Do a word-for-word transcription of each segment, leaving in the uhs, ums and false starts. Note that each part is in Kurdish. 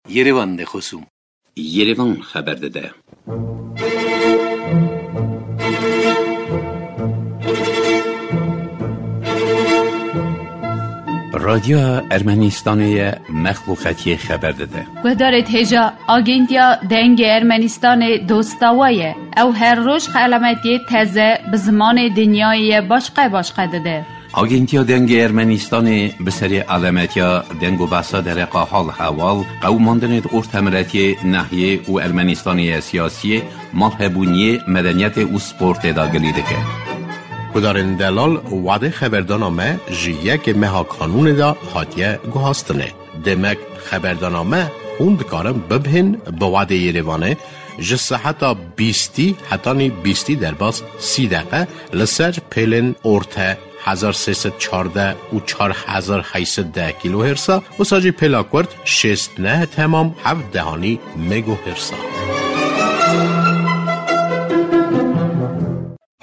Yerevan de xosûm. Yerevan xeber dide. Radyoya Ermenistanê ye, mexluqetiyê xeber dide. Guhdarê hêja, Agentiya Dengê Ermenistanê dosta we ye. Ew her roj xelametiyê teze bi zimanê dinyayê ye başqe başqe dide. Agentiya Dengê Ermenistanê bi serê alemetiya deng û behsa dereqa hal hewal, qewimandinê di ortemiletiyê, nehiyê û Ermenistanê ya siyasiyê, malhebûniyê, medeniyetê û sportê de gilî dike. Gudarên delal, wadê xeberdana me ji yekê meha kanûnê de hatiye guhastinê. Demek xeberdana me hûn dikarin bibihên bi wadê Yerevanê ji seheta bîstî hetanî bîstî derbas sî deqe li ser pêlên orte hezar sê sed çardeh û çar hezar heyt sed deh kîlohêrsa, wisa jî pêla kurt şêst neh temam heft dehanî megohêrsa.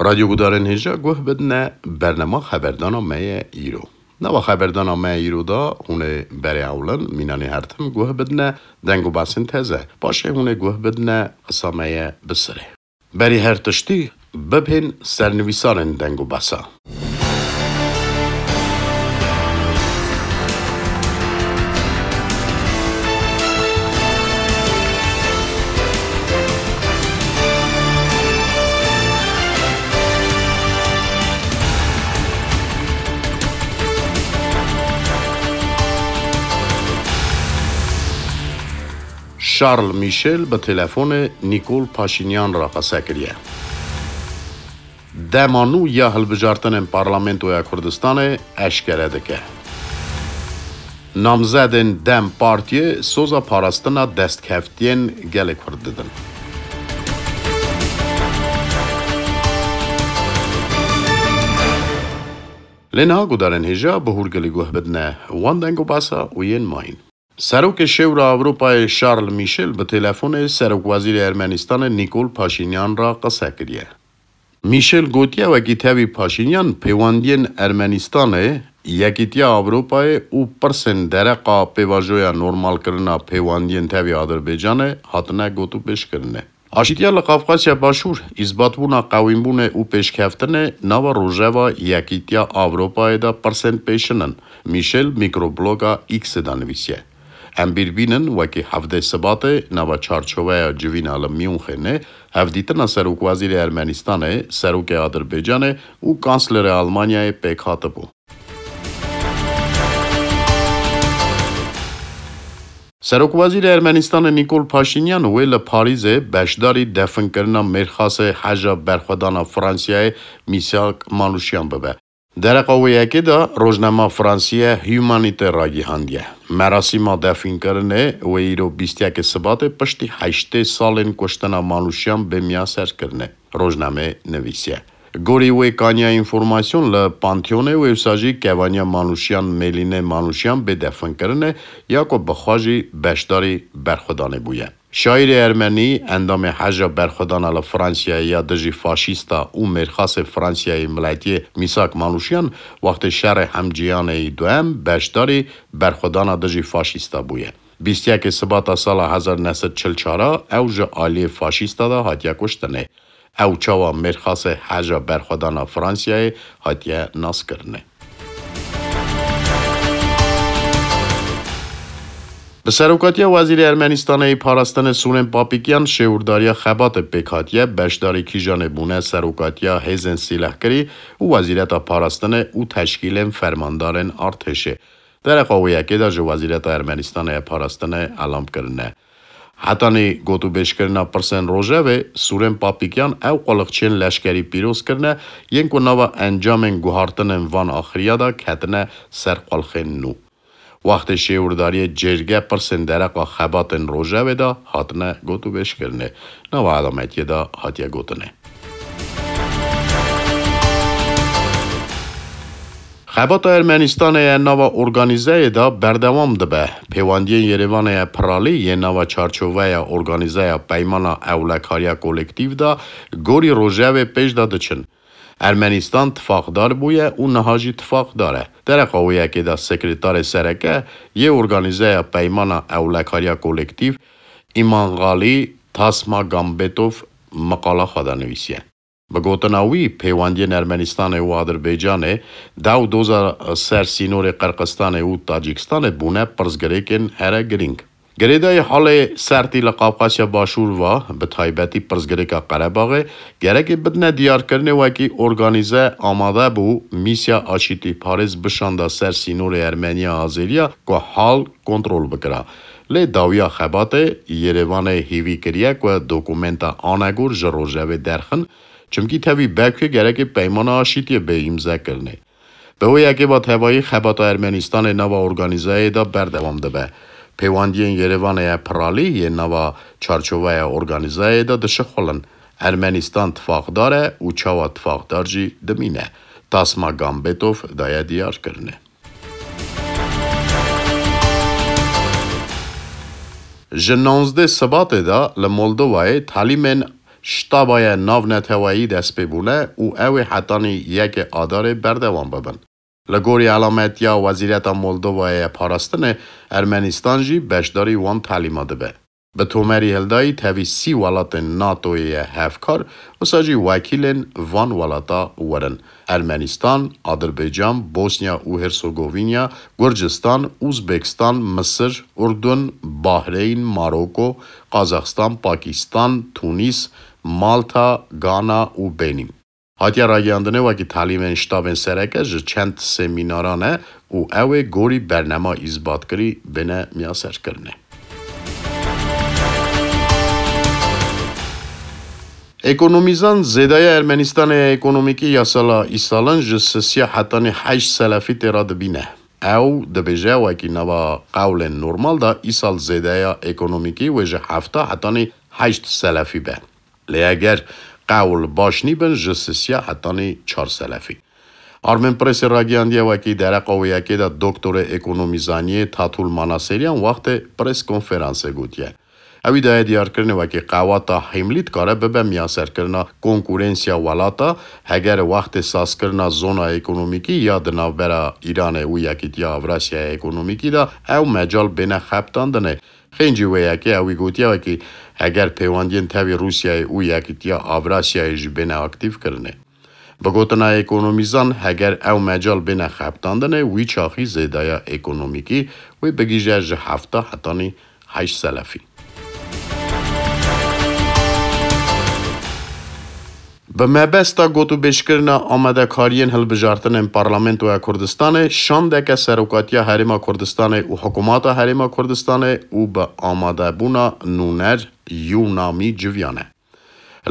Radyo gudarên hêja guh bidine bernema xeberdana me ye îro. Nava xeberdana me îro de hûn ê berê ewlin mînanê her tim guh bidine deng û behsên teze. Paşê hûn ê guh bidine qisa me ye bi sirê. Berî her tiştî bibhên sernivîsarên deng û behsa. Charles Michel bi telefonê Nikol Paşinyan re qese kiriye. Dema nû ya hilbijartinên Parlamentoya Kurdistanê eşkere dike. Namzedên DEM Partiyê soza parastina destkeftiyên gelê Kurd didin. Lê niha gudarên hêja bi hûrgilî guh bidine wan deng û behsa û yên mayîn. Serokê Şêwra Ewropayê Charles Michel bi telefonê Serokwezîrê Ermenistanê Nikol Paşinyan re qise kiriye. Michel gotiye, wekî tevî Paşinyan, pêwendiyên Ermenistanê, Yekîtiya Ewropayê û pirsên dereqa pêvajoya normalkirina pêwendiyên tevî Adirbaycanê hatine gotûbêjkirinê. Aşîtiya li Qafqasya Başûr, îsbatbûna qewînbûnê û pêşkeftinê nava rojeva Yekîtiya Ewropayê de pirsên pêşin in, Michel mikrobloga X-ê de nivîsiye. Em bîr bînin, wekî hevdeh Sibatê nava çarçoveya civîna li Myûnxenê hevdîtina Serokwezîrê Ermenistanê, Serokê Adirbaycanê û Kanslerê Almanyayê pêk hatibû. Serokwezîrê Ermenistanê Nikol Paşinyan wê li Parîzê beşdarî definkirina mêrxasê heja berxwedana Fransiyayê Mîsak Manûşyan bibe. Dereqa wê yekê de rojnama Fransî ye Humanité ragihandiye. Merasîma definkirinê wê îro bîst yekê Sibatê piştî heştê salên kuştina Manûşyan bê miyaserkirinê. Rojnamê nivîsiye. Gorî wê kaniya înformasyon li Pantheonê wê wisa jî kevaniya Manûşyan Mêlînê Manûşyan bê definkirinê ya ku bi xwe jî beşdarî berxwedanê bûye. Şaîrê ermenî, endamê Heja Berxwedana li Fransiyayê ya dijî faşîsta û mêrxasê Fransiyayê miletiyê Mîsak Manûşyan, wextê şerê hemcîyanê yî duem beşdarî berxwedana dijî faşîsta bûye. Bîst yekê Sibata sala hezar neh sed çil çar a ew ji aliyê faşîsta de hatiye kuştinê. Ew çawa mêrxasê Heja Berxwedana Fransiyayê hatiye naskirinê. Bi serokatiya Wezîrê Ermenistanê yê Parastinê Sûrên Papîkyan şêwirdariya xebatê pêk hatiye, beşdarî kîjanê bûne serokatiya hêzên sîlehkirî û Wezîreta Parastinê û teşkîlên fermandarên artêşê. Dereqa wê yekê de ji Wezîreta Ermenistanê ya Parastinê elam kirine. Hetanî gotûbêjkirina pirsên rojevê, Sûrên Papîkyan ew quliqçiyên leşkerî pîroz kirine, yên ku nava encamên guhartinên van axiriya de ketine ser qulxên nû. Wextê şêwirdariyê cêrge pirsên dereqa xebatên rojevê de hatine gotûbêjkirinê, nava elametiyê de hatiye gotinê. Xebata Ermenistanê ya nava organîzeyê de berdewam dibe. Pêwendiyên Yerêvanê ya piralî yên nava çarçoveya organîzeya Peymana Ewlekariya Kolektîf de gorî rojevê pêş de diçin. Ermenîstan tifaqdar bûye û niha jî tifaqdar e. Dereqa wê yekê de sekretarê sereke yê organîzeya Peymana Ewlekariya Kolektîf, Îmangalî Tasma Gambetov, meqala xwe de nivîsiye. Bi gotina wî, pêwendiyên Ermenîstanê û Adirbaycanê, dew doza ser sînorê Qirqistanê û Tacikistanê bûne pirsgirêkên here girîng. Girêdayî halê sertî li Qafqasya Başûr ve, bi taybetî pirsgirêka Qerebaxê, gerekê bidine diyarkirinê wekî organîze amade bû, mîsya aşîtîparêz bişanda ser sînorê Ermeniya Azeriya ku hal kontrol bikira. Lê dawiya xebatê, Yerevanê hêvî kiriye ku dokumenta anegor ji rojevê derxin, çimkî tevî Bakuyê gerekê peymana aşîtiyê bê îmzekirinê. Bi wê yekê ve tevayî xebata Ermenîstanê nava organîzeyê de berdewam dibe. Pêwendiyên Yerevanê ya piralî yê nava çarçoveya organîzeyê de dişixulin. Ermenîstan tifaqdar e û çawa tifaqdar jî dimîne. Tasma Gambetov daye diyarkirinê. Ji nonzdeh Sibatê de li Moldovayê talîmên ştabaya navneteweyî dest pê bûne û ew ê hetanî yekê Adarê berdewam bibin. Li gorî elametiya Wezîreta Moldovayê ya Parastinê, Ermenîstan jî beşdarî wan talîma dibe. Bi tomerî hildayî tevî sî welatên NATOyê ye hevkar, wisa jî wekîlên van welata werin: Ermenîstan, Adirbaycan, Bosnya û Hersogovînya, Gurcistan, Uzbekistan, Misir, Urdun, Bahreyn, Maroko, Qazaxistan, Pakistan, Tunîs, Malta, Gana û Benîn. Hatiye ragihandinê wekî talîmên ştabên sereke ji çend semînaran e û ew ê gorî bernema îzbatkirî bêne miyaserkirinê. Ekonomîzan zêdaya Ermenîstanê ya ekonomîkî ya sala îsalin ji sisiya hetanî heşt selefî tê re dibîne. Ew dibêje, wekî nava qewlên normal de îsal zêdeya ekonomîkî wê ji hefta hetanî heşt selefî be. Lê eger qewl baş nîbin, ji sisiya hetanî çar selefî. Armenpressê ragihandiye, wekî dereqa wê yekê de doktorê ekonomîzaniyê Tatul Manaseriyan wextê pres konferansê gotiye. Ewî daye diyarkirinê wekî qewata hîmlî dikare bibe miyaserkirina konkurensiya welata, heger wextê sazkirina zona ekonomîkî ya di navbera Îranê û Yekîtiya Avrasyaya Ekonomîkî de ew mecal bêne xebitandinê. Xêncî wê yekê ewî gotiye wekî heger pêwendiyên tevî Rûsyayê û Yekîtiya Avrasyayê jî bêne aktîfkirinê. Bi gotina ekonomîzan, heger ew mecal bêne xebitandinê, wî çaxî zêdaya ekonomîkî wê bigihîje ji hefta hetanî heşt selefî. Bi mebesta gotûbêjkirina amadekariyên hilbijartinên Parlamentoya Kurdistanê, şandeke Serokatiya Herêma Kurdistanê û Hikûmata Herêma Kurdistanê û bi amadebûna nûner Yûnamî civiyane.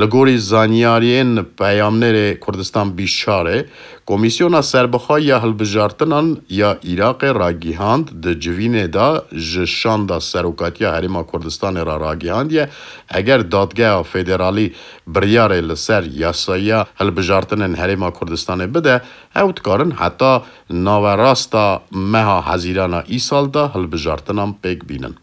Li gorî zanyariyên peyamnêrê Kurdistan bîst çarê, Komîsyona Serbixwe ya Hilbijartinan ya Iraqê ragihand, di civînê de ji şanda Serokatiya Herêma Kurdistanê re ragihandiye, eger Dadgeha Federalî biryarê li ser yasayiya hilbijartinên Herêma Kurdistanê bide, ew dikarin heta naverasta meha Hezîrana îsal de hilbijartinan pêk bînin.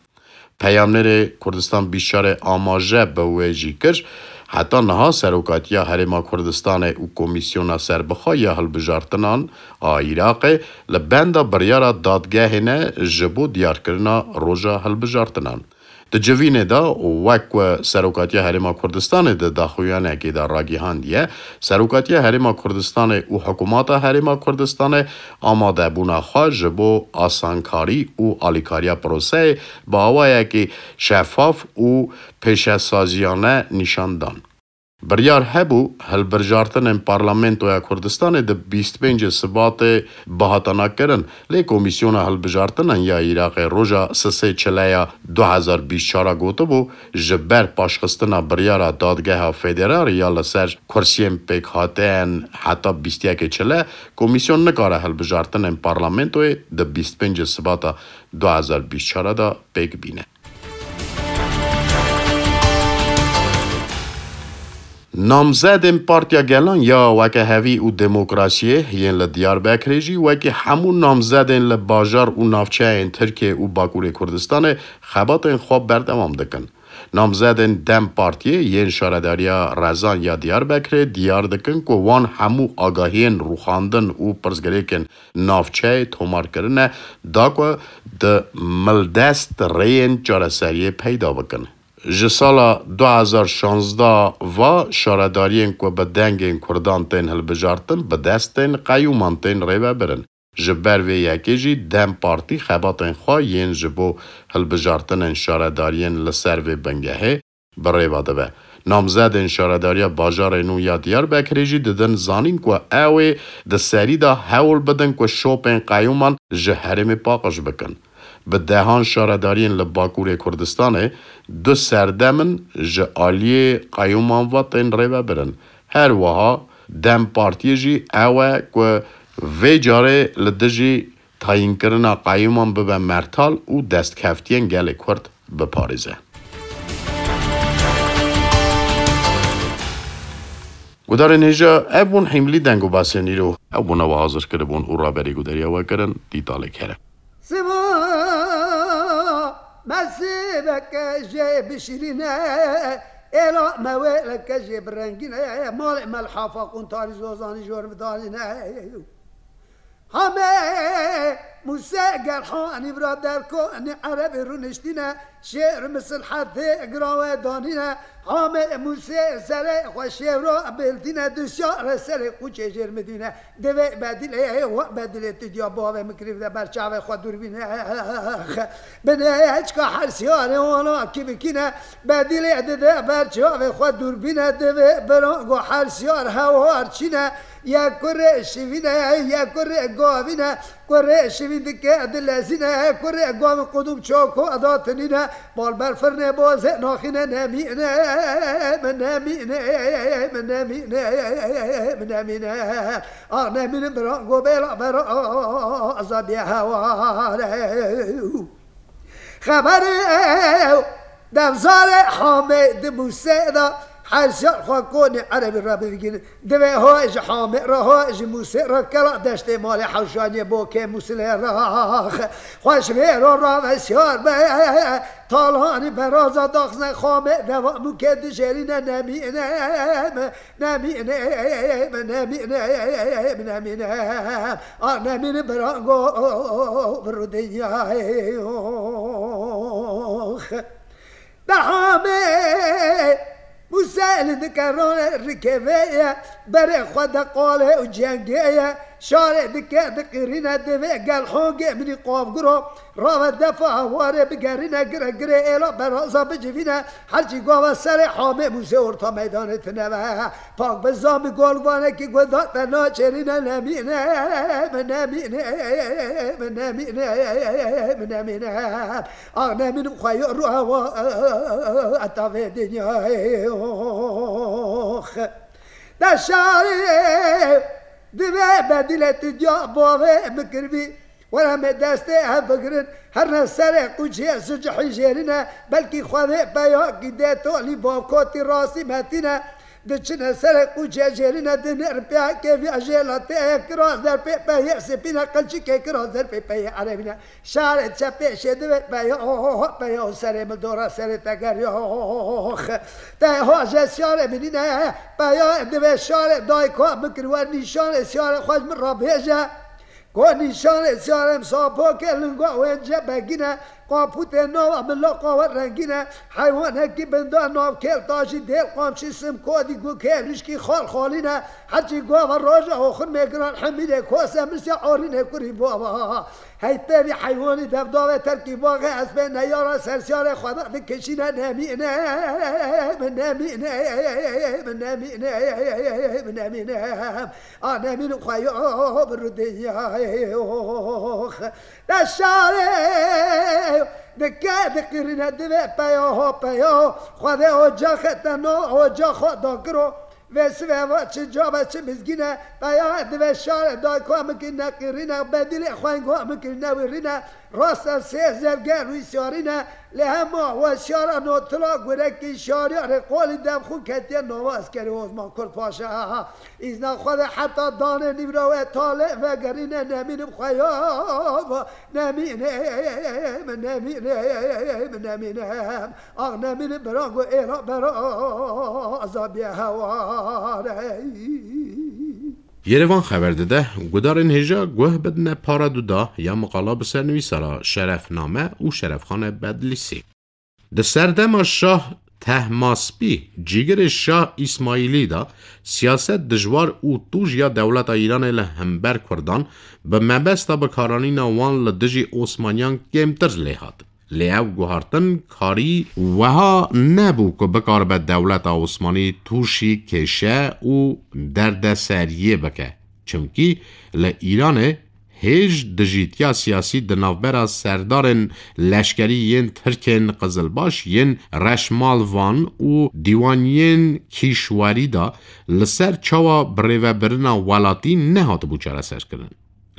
Peyamnêrê Kurdistan bîst çarê amaje bi wê jî kir, heta niha Serokatiya Herêma Kurdistanê û Komîsyona Serbixwe ya Hilbijartinan a Iraqê li benda biryara dadgehê ne ji bo diyarkirina roja hilbijartinan. Di civînê de, wek ku Serokatiya Herêma Kurdistanê di daxuyanekê de ragihandiye, Serokatiya Herêma Kurdistanê û Hikûmeta Herêma Kurdistanê amadebûna xwe ji bo asankarî û alîkariya proseyê bi awayekî şefaf û pêşesaziyane nîşan dan. Biryar hebû hilbijartinên Parlamentoya Kurdistanê di bîst pêncê Sibatê bihatana kirin, lê Komîsyona Hilbijartinan ya Iraqê roja sisê Çileya du hezar bîst çar a gotibû, ji ber paşxistina biryara Dadgeha Federal ya li ser kursiyên pêkhateyên heta bîst yekê Çile, Komîsyon nikare hilbijartinên Parlamentoyê di bîst pêncê Sibata du hezar bîst çar de pêk bîne. Namzedên Partiya Gelan ya Wekehevî û Demokrasiyê yên li Diyarbekirê jî wekî hemû namzedên li bajar û navçeyên Tirkiyê û Bakurê Kurdistanê xebatên xwe berdewam dikin. Namzedên DEM Partiyê yên Şaredariya Rezan ya Diyarbekirê diyar dikin ku wan hemû agahiyên rûxandin û pirsgirêkên navçeyê tomar kirine, da ku di mildest rêyên çareseriyê peyda bikin. Ji sala du hezar şazdeh ve şaredariyên ku bi dengên Kurdan tên hilbijartin, bi destên qeyûman tên rêvebirin. Ji ber vê yekê jî DEM Partî xebatên xwe yên ji bo hilbijartinên şaredariyên li ser vê bingehê bi rêve dibe. Namzedên Şaredariya Bajarê Nû ya Diyarbekirê jî didin zanîn ku ew ê di serî de hewl bidin ku şopên qeyûman ji herêmê paqij bikin. Bi dehan şaredariyên li Bakurê Kurdistanê du serdem in ji aliyê qeyûman ve tên rêvebirin. Her wiha DEM Partiyê jî ew e ku vê carê li dijî tayînkirina qeyûman bibe mertal û destkeftiyên gelê Kurd biparêze. Gudarên hêja, ev bûn hîmlî deng û basên îro. Ew bûne we hazir kiribûn û raberî gudariya we kirin, dîtalê kere. Siba mesîbeke jê bişirîne, êla me wêleke jê birengîne, malê me li hafa qûntarî zozanî jor bidanîne. Hame Mûse Gerhanî bira derkonî erebî rûniştîne, şêr misilhetê gira we danîne. Hame Mûse serê xwe şêro bêldîne, du şare serê qûçê jêr midîne. Divê bedîlê, we bedîlê tu diya bavê min kirî de ber çavê xwe dûr bîne. Binê çika her siyarê wana kî bikîne, bedîlê dide ber çavê xwe dûr bîne, divê birango her siyar hewar çîne. Ye kurê şivîne, ye kurê gavîne, kurê şivîn dike dilezîne, kurê gavîn qudum çoko da tinîne, bal ber firnê bozê naxîne, nemîne, min nemîne, min nemîne, min nemîne. Ah nemîne bira gobela bera azadiye heware. Xeberê ew devzarê Hamê di Mûsê de her siyar xwe konê erebî re bivigînin. Divê ho ji Hamê re, ho ji Mûsê re kela deştê malê hewşaniyê bo kê Mûsilê re. Xweş vê ro rave siyar be, talanî beraza daxizne Xamê deva mûkê dijêrîne nemîne. Nemîne, nemîne, nemîne. A nemîne birango bi rûdinya. Dehamê Mûse li dike rone rikê vê ye, berê xwe de qalê û cengê ye. Şarê dike diqirîne divê gel hongê minî qavgiro. Rave defa warê bigerîne gire girê êla beraza bicivîne. Herçî gava serê Hamê Mûsê orta meydanê tine ve. Pak bi zam bi golvanekî guda te naçêrîne nemîne, min nemîne, min nemîne, min nemîne. Ah nemînim xwe yo ruha wa eta vê dinyayê. De şarê divê bedîlê tu diya bavê min kiribî. Were me destê hev bigirin, herne serê qûçê sicihî jêrine, belkî Xwedê peyakî dê tolî bavkotî rastî metîne, diçine serê qûçê jêrine, dinêrin pê kêviya jêlatê ye, kira zerpê peyê sipîne, qilçikê kira zerpê peyê erebîne. Şarê çepê şê divê peya, peya serê min dora serê te geriya. Te ha je şarê minîne, peya divê şarê dayka min kir wer nîşanê şarê xwe ji min re bêje. Ku nîşanê siyarem sapokê linga wê cebegîne, qapûtê nava min loqa we rengîne, heywanekî binda navkêl tajî dêl qamçî simkodî gukê lişkî xal xalîne, herçî gava roja oxirmê giran hemîrê kose misya orînê kurî bava. Hey tevî heywanî devdavê terkî baxê ez pê neyara sersiyarê xwe de dikişîne nemîne, min nemîne, min nemîne, min nemîne. A nemîn xwe yo bi rûdiyayê de şarê dike diqirîne divê peya ho peya. Xwedê ocaxê te no ocax xwe dakiro. Vê sivê va çi cabe çi mizgîne. Peya divê şarê dayka min kî neqirîne. Bedîlê xwe go min kî newirîne. Rasta sê zerger wî siyarîne. Lê hema weşiyara notila gurekî şariyarê qolî dev xwe ketiye nava eskerê Osman Kurd Paşa. Îzna xwe de heta danê nîvra we talê vegerîne nemînim xwe ya va nemînim, nemînim, nemînim. Ax nemînim bira go êra bera azabiye heware. Yerevan xeber dide, gudarên hêja guh bidine para duda ya miqala bi sernivîsara Şerefname û Şerefxane Bedlîsî. Di serdema Şah Tehmaspî, cîgirê Şah Îsmaîlî de, siyaset dijwar û tûj ya dewleta Îranê li hember Kurdan bi mebesta bikaranîna wan li dijî Osmaniyan kêmtir lê hat. Lê ev guhartin karî wiha nebû ku bikaribe dewleta Osmanî tûşî kêşe û derdeseriyê bike. Çimkî li Îranê hêj dijîtiya siyasî di navbera serdarên leşkerî yên Tirkên Qizilbaş, yên Reşmalvan û dîwaniyên kîşwerî de li ser çawa birêvebirina welatî nehatibû çareserkirin.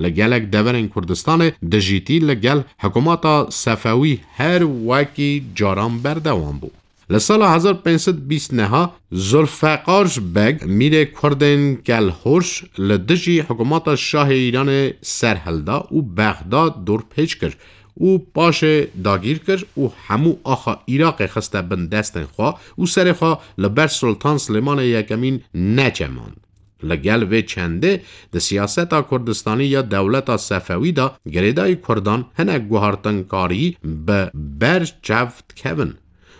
Li gelek deverên Kurdistanê dijîtî li gel hikûmeta Sefewî her wekî caran berdewam bû. Li sala hezar pênc sed bîst neha Zulfeqar Beg, mîrê Kurdên Kelhoş, li dijî hikûmeta Şahê Îranê serhilda û Bexdad dorpêç kir û paşê dagîr kir û hemû axa Iraqê xiste bin destên xwe û serê xwe li ber Sultan Silêmanê Yekemîn neçemand. Li gel vê çendê di siyaseta Kurdistanî ya dewleta Sefewî de girêdayî Kurdan hinek guhartinkarî bi ber çav dikevin.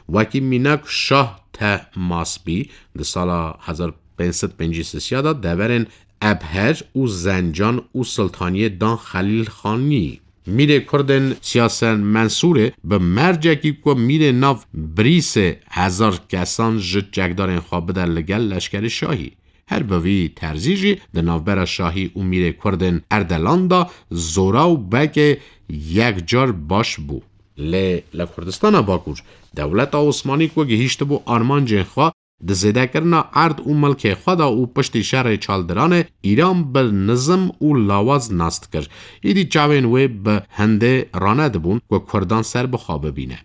Wekî mînak Şah Tehmaspî di sala hezar pênc sed pêncî sisiya de deverên Ebher û Zencan û Siltaniyê dan Xelîl Xanî. Mîrê Kurdên Siyasen Mensûrê bi mercekî ku mîrê nav Brîsê hezar kesan ji çekdarên xwe bide li gel leşkerê şahî. Her bi vî terzî jî di navbera şahî û mîrê Kurdên Erdelan de zora û bekê yekcar baş bû. Lê li Kurdistana Bakur, dewleta Osmanî ku gihîştibû armancên xwe, di zêdekirina erd û milkê xwe de û piştî şerê Çaldiranê Îran bi nizim û lawaz nas dikir. Îdî çavên wê bi hindê ranedibûn ku Kurdan serbixwe bibîne.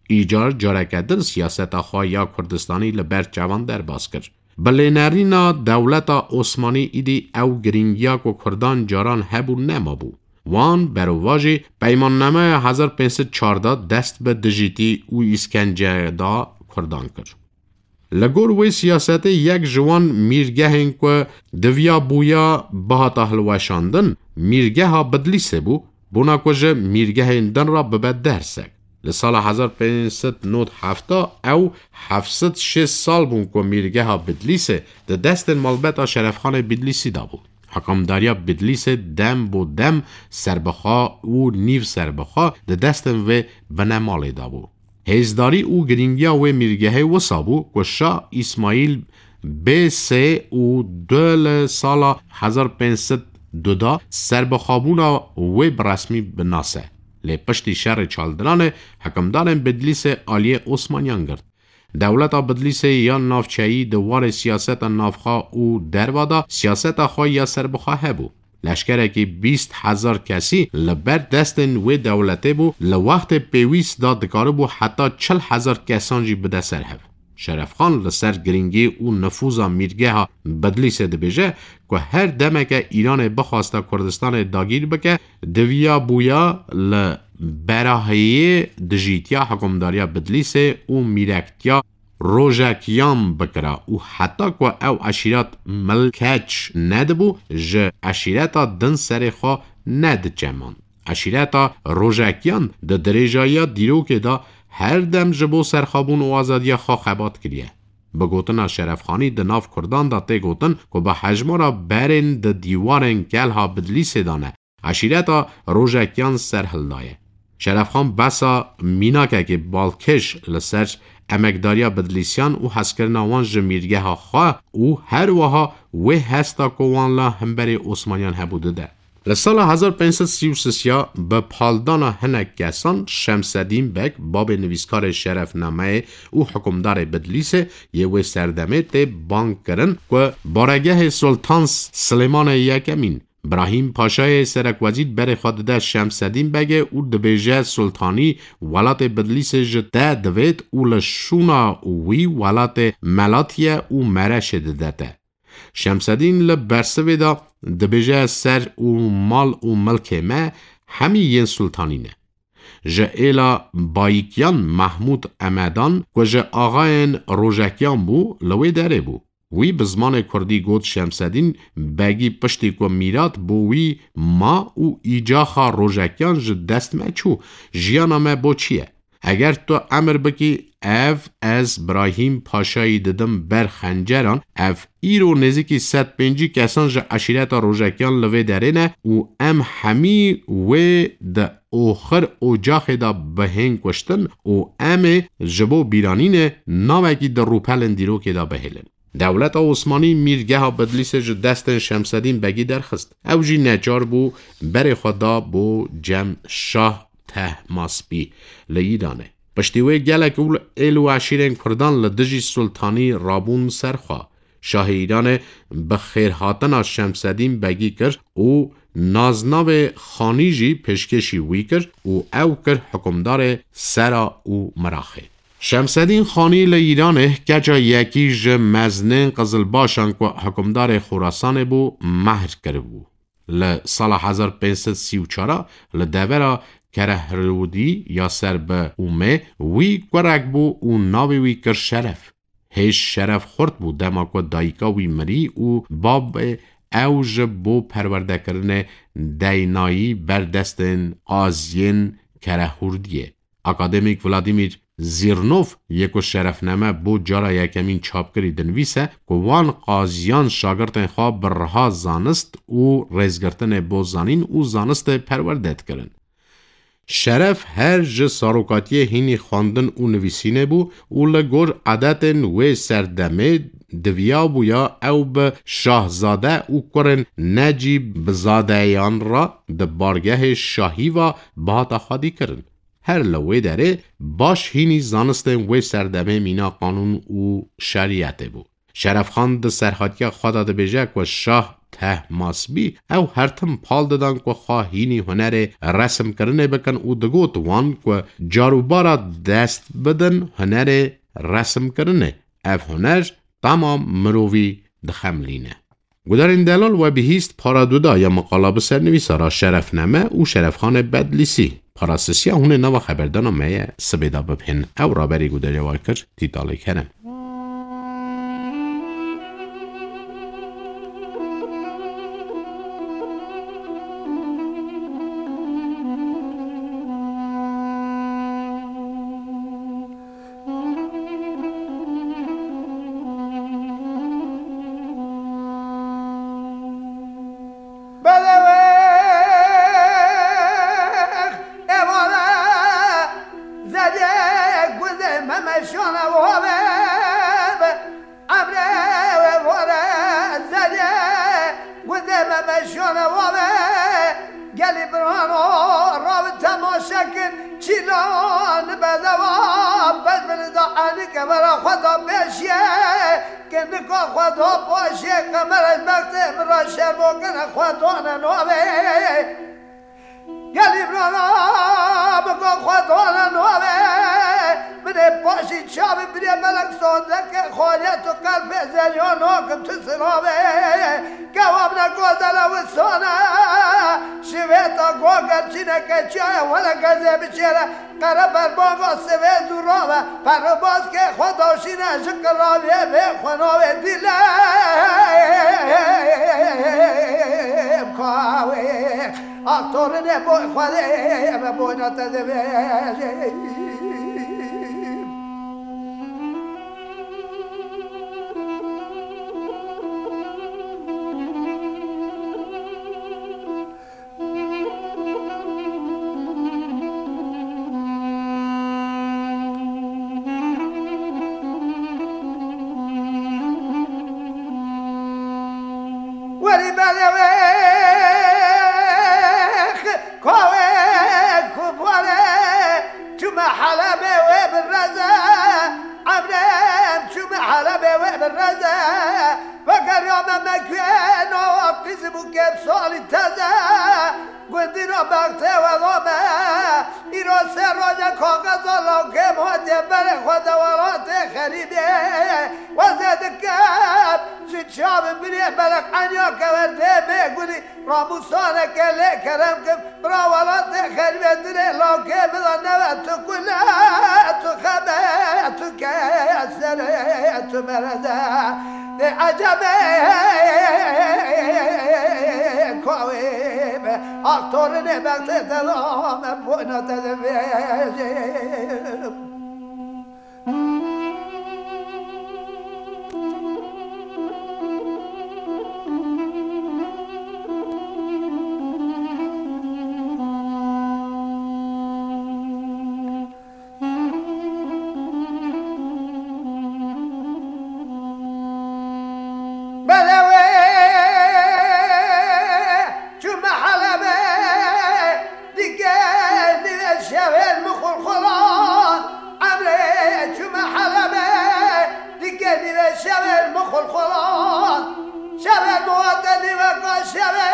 Îcar careke din siyaseta xwe ya Kurdistanî li ber çavan derbas kir. Bi lênerîna dewleta Osmanî îdî ew girîngiya ku Kurdan caran hebû nemabû. Wan berovajî Peymannameya hezar pênc sed çardeh dest bi dijîtî û îskence da Kurdan kir. Li gor wê siyasetê yek ji wan mîrgehên ku diviya bûya bihata hilweşandin, mîrgeha Bidlîsê bû, bona ku ji mîrgehên din re bibe dersek. Li sala hezar pênc sed nod hefta ew heft sed şêst sal bûn ku mîrgeha Bidlîsê di destên malbeta Şerefxanê Bidlîsî de bû. Hikimdariya Bidlîsê dem bo dem serbixwe û nîv serbixwe di destên vê binemalê de bû. Hêzdarî û girîngiya wê mîrgehê wisa bû ku Şah Îsmaîl bê sê û du li sala hezar pênc sed du de serbixwebûna wê bi resmî binase. Lê piştî şerê Çaldiranê hikimdarên Bidlîsê aliyê Osmaniyan girt. Dewleta Bidlîsê ya navçeyî di warê siyaseta navxwe û derva de siyaseta xwe ya serbixwe hebû. Leşkerekî bîst hezar kesî li ber destên wê dewletê bû, li wextê pêwîst de dikaribû heta çil hezar kesan jî bide ser hev. Şerefxan li ser girîngî û nifûza mîrgeha Bidlîsê dibêje ku her demeke Îranê bixwasta Kurdistanê dagîr bike, diviya bûya li berahiyê dijîtiya hikûmdariya Bidlîsê û mîrektiya Rojekiyan bikira û heta ku ew eşîret milkeç nedibû, ji eşîreta din serê xwe nediçemand. Eşîreta Rojekiyan di dirêjayiya dîrokê de her dem ji bo serxwebûn û azadiya xwe xebat kiriye. Bi gotina Şerefxanî di nav Kurdan de tê gotin ku bi hejmara berên di dîwarên kelha Bidlîsê de ne, eşîreta Rojekiyan serhildaye. Şerefxan besa mînakekî balkêş li ser emekdariya Bidlîsiyan û hezkirina wan ji mîrgeha xwe û her wiha wê hesta ku wan la hemberî Osmaniyan hebû dide. Li sala hezar pênc sed sî û sisiya bi paldana hinek kesan Şemsedîn Beg, babê nivîskarê Şerefnameyê û hikûmdarê Bidlîsê yê wê serdemê tê bang kirin ku baregehê Sultan Silêmanê Yekemîn, Birahîm Paşayê serekwezîr berê xwe dide Şemsedîn Begê û dibêje Sultanî welatê Bidlîsê ji te divêt û li şûna wî welatê Melatiye û Mereşê dide te. Şemsedîn li bersivê de dibêje ser û mal û milkê me hemî yên Sultanî ne. Ji êla Bayikyan Mahmûd Emedan ku ji axayên Rojekiyan bû, li wê derê bû. Wî bi zimanê kurdî got Şemsedîn Begî piştî ku Mîrat bo wî ma û îcaxa Rojekiyan ji dest me çû, jiyana me bo çi ye? Eger tu emir bikî, ev ez Birahîm Paşayî didim ber xenceran, ev îro nêzîkî sed pêncî kesan ji eşîreta Rojekiyan li vê derê ne û em hemî wê di oxir ocaxê de bihên kuştin û em ê ji bo bîranînê navekî di rûpelên dîrokê de bihêlin. Dewleta Osmanî mîrgeha Bidlîsê ji destên Şemsedîn Begî derxist. Ew jî neçar bû berê xwe da bo cem Şah Tehmaspî li Îranê. Piştî wê gelek û êl û eşîrên Kurdan li dijî Sultanî rabûn ser xwe. Şahê Îranê bi xêrhatina Şemsedîn Begî kir û naznavê Xanî jî pêşkêşî wî kir û ew kir hukimdarê Sera û Miraxê. Şemsedîn Xanî li Îranê keça yekî ji meznên qizilbaşan ku hukimdarê Xorasanê bû, mehr kiribû. Li sala hezar pênc sed sî û çar li devera Kerehrûdî ya ser bi Ûmê wî kurek bû û navê wî kir Şeref. Hêj Şeref xurt bû dema ku dayika wî mirî û babê ew ji bo perwerdekirinê deynayî ber destên qaziyên Kerehûrdiyê. Akademîk Vladimir Zîrnov yê ku Şerefname bo cara yekemîn çap kirî dinivîse ku wan qaziyan şagirtên xwe bi riha zanist û rêzgirtinê bo zanîn û zanistê perwerde dikirin. Şeref her ji sarokatiyê hînî xwendin û nivîsînê bû û li gor edetên wê serdemê diviyabûya ew bi şahzade û kurên necî bizadeyan re di bargehê şahî ve bihata xwedî kirin. Her li wê derê baş hînî zanistên wê serdemê mîna qanûn û şeriyetê bû. Şerefxan di serhatiya xwe de dibêje ku Şah Tehmasbî ew her tim pal didan ku xwe hînî hunerê resimkirinê bikin û digot wan ku carûbara dest bidin hunerê resimkirinê. Ev huner temam mirovî dixemilîne. Gudarên delal we bihîst para du da ya miqala bi sernivîsara Şerefname û Şerefxanê Bedlîsî. Parasisiya hûn ê nava xeberdana me ye sibê de bibihên. Ew raberî gudariya we kir, Tîtalê Kerem. Belewêx êvara zerê gundê Memeşana wave be. Emre wê vore zerê gundê Memeşana wave. Gelî birano rabi temaşe kin, çîlan bedewa, bez bini da enike vera xwe da beşiye. Kinika xwe da paşê qemer ez bextê min re şerbo kine xwe dane navê. Gelî birana biko xwe dane navê. Min ê paşî çavê birê melek sondeke xaliyet û qelbê zeliyo nakim tu sinavê. Kewam ne gozele wisane. Şivê ta goger çîneke çaye wele gezê biçêre. Qere berbanga sivê zûra ve, perro baskê xwe daşîne ji qiravê vê xwe navê dîle. Kawê, aktorine boy xwedê, me boyna te divê. Werî belê wê kawê ku bore çûme Helebê wê bi reze, emrem çûme Helebê wê bi reze. Weke Ya me mekuyê nava qîzî bû kêm salî teze. Gundîna bextê we dame. Îro sê roje kaxeza lawkê hatiye berê xwe de welatê xerîbê. Wezê dikem ji çavê birê belek enya keverdê bê gulî. Ramûsaneke lê kerem kim, bira welatê xerîbê dilê lawkê bida neve tu kule, tu xebe, tu kesere, tu mereze. Dê ecebê kawê be, ak torinê bextê te dame, boyna te de vêjim. Belewê çûme Helebê, dike nîve şevên min xulxulan. Emrê çûme Helebê, dike nîve şevên min xulxulan. Şevên min wate nîveka şevê.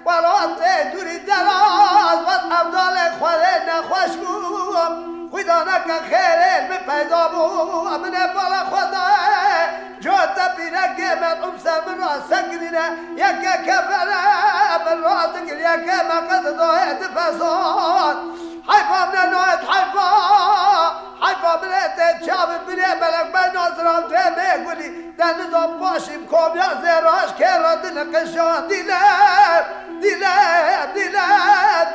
Welatê dûrî deraz, vat evdalê Xwedê nexweş bû. Xwîdaneke xêrê min peyda bû, min ê bala xwe daye. Cote pîrekê melûm ser min ra sekinîne, yeke kefene min ra dikir, yeke me qet daye di fesan. Heyfa min e nayet heyfa, heyfa min e tê çavê birê belek ben naziram demê gulî. Deniza paşî komiya zêraş kêra dil qişan dîle, dîle, dîle,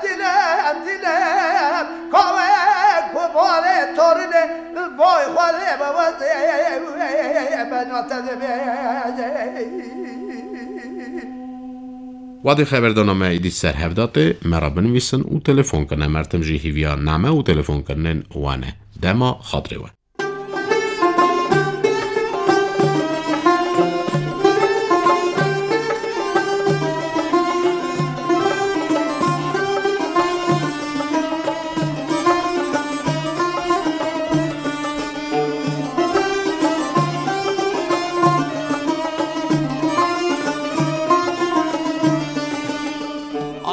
dîle, dîle. Kawê ku barê torine boy xwalê be wezê be nate de be. Wadê xeberdana me êdî ser hev datê, me re binivîsin û telefon kirine. Mertim jî hîviya name û telefonkirinên wan e. Dema xatirê we.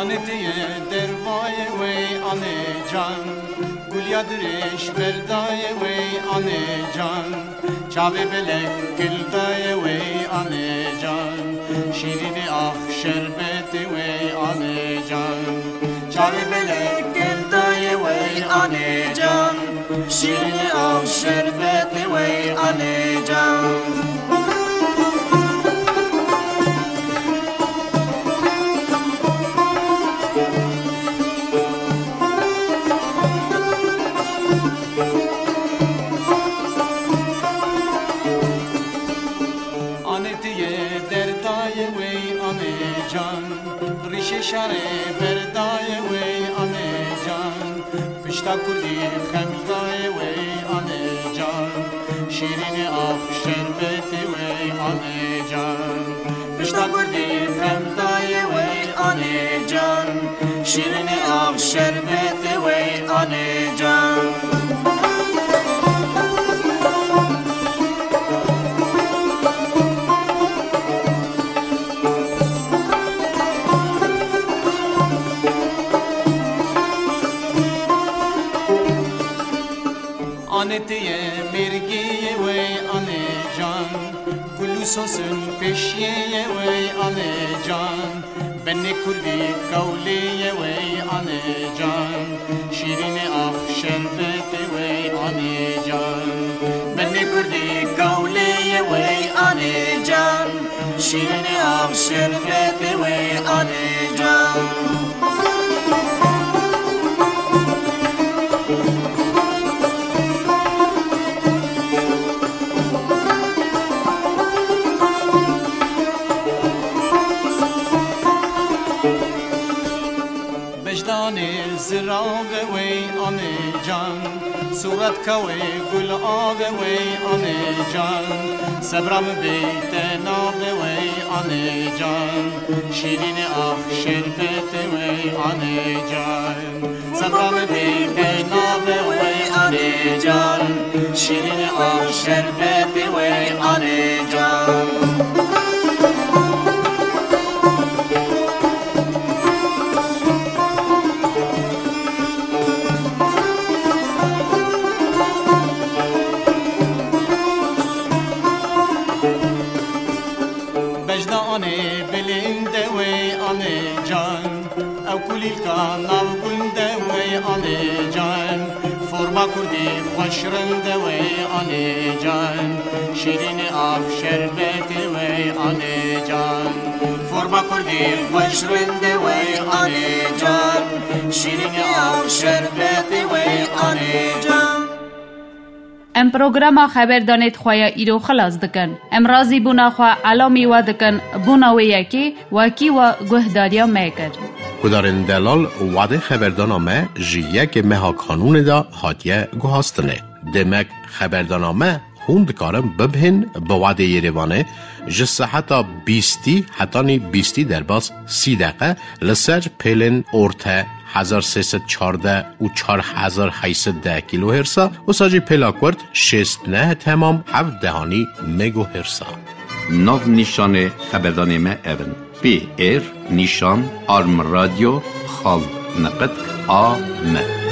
Anê tê ye dervayê wey anê can. Gulya dirêj berdayê wey anê can. Çavê belek gildayê wey anê can. Şîrînê ax şerbetê wey anê can. Çavê belek gildayê wey anê can. Şîrînê ax şerbetê wey anê can. Anê tê ye derdayê wey anê can. Rîşê şarê berdayê wey anê can. Pişta kurdî xemdayê wey anê can. Şîrînê ax şerbetê wey anê can. Pişta kurdî xemdayê wey anê can. Şîrînê ax şerbetê wey anê can. Anê tê ye mêrgê ye wey anê can. Gul û sosin pêşiyê ye wey anê can. Benê kurdî kewlê ye wey anê can. Şîrînê ax şerbetê wey anê can. Benê kurdî kewlê ye wey anê can. Şîrînê ax şerbetê wey anê can. Bejdanê ziravê wey anê can. Sûretka wey gul avê wey anê can. Sebra min bê te navê wey anê can. Şîrînê ax şerbetê wey anê can. Sebra min bê te navê wey anê can. Şîrînê ax şerbetê wey anê can. Anê can, forma kurdî xweş rinde wey anê can, şîrînê ax şerbetê wey anê can. Forma kurdî xweş rinde wey anê can, şîrînê ax şerbetê wey anê can. Em programa xeberdanê di xwe ya îro xilas dikin. Em razîbûna xwe elamî we dikin, bona wê yekê wekî we guhdariya me kir. Guhdarên delal, wadê xeberdana me ji yekê meha Kanûnê de hatiye guhastinê. Demek xeberdana me hûn dikarin bibihên bi wadê Yerêvanê ji seheta bîstî hetanî bîstî derbas sî deqe li ser pêlên orte hezar sê sed çardeh û çar hezar heyt sed deh kilohertsa, wisa jî pêla kurt şêst neh temam heft dehanî megohertsa. Nav nîşanê xeberdanê me ev in: P R nîşan arm radio xal neqet A M.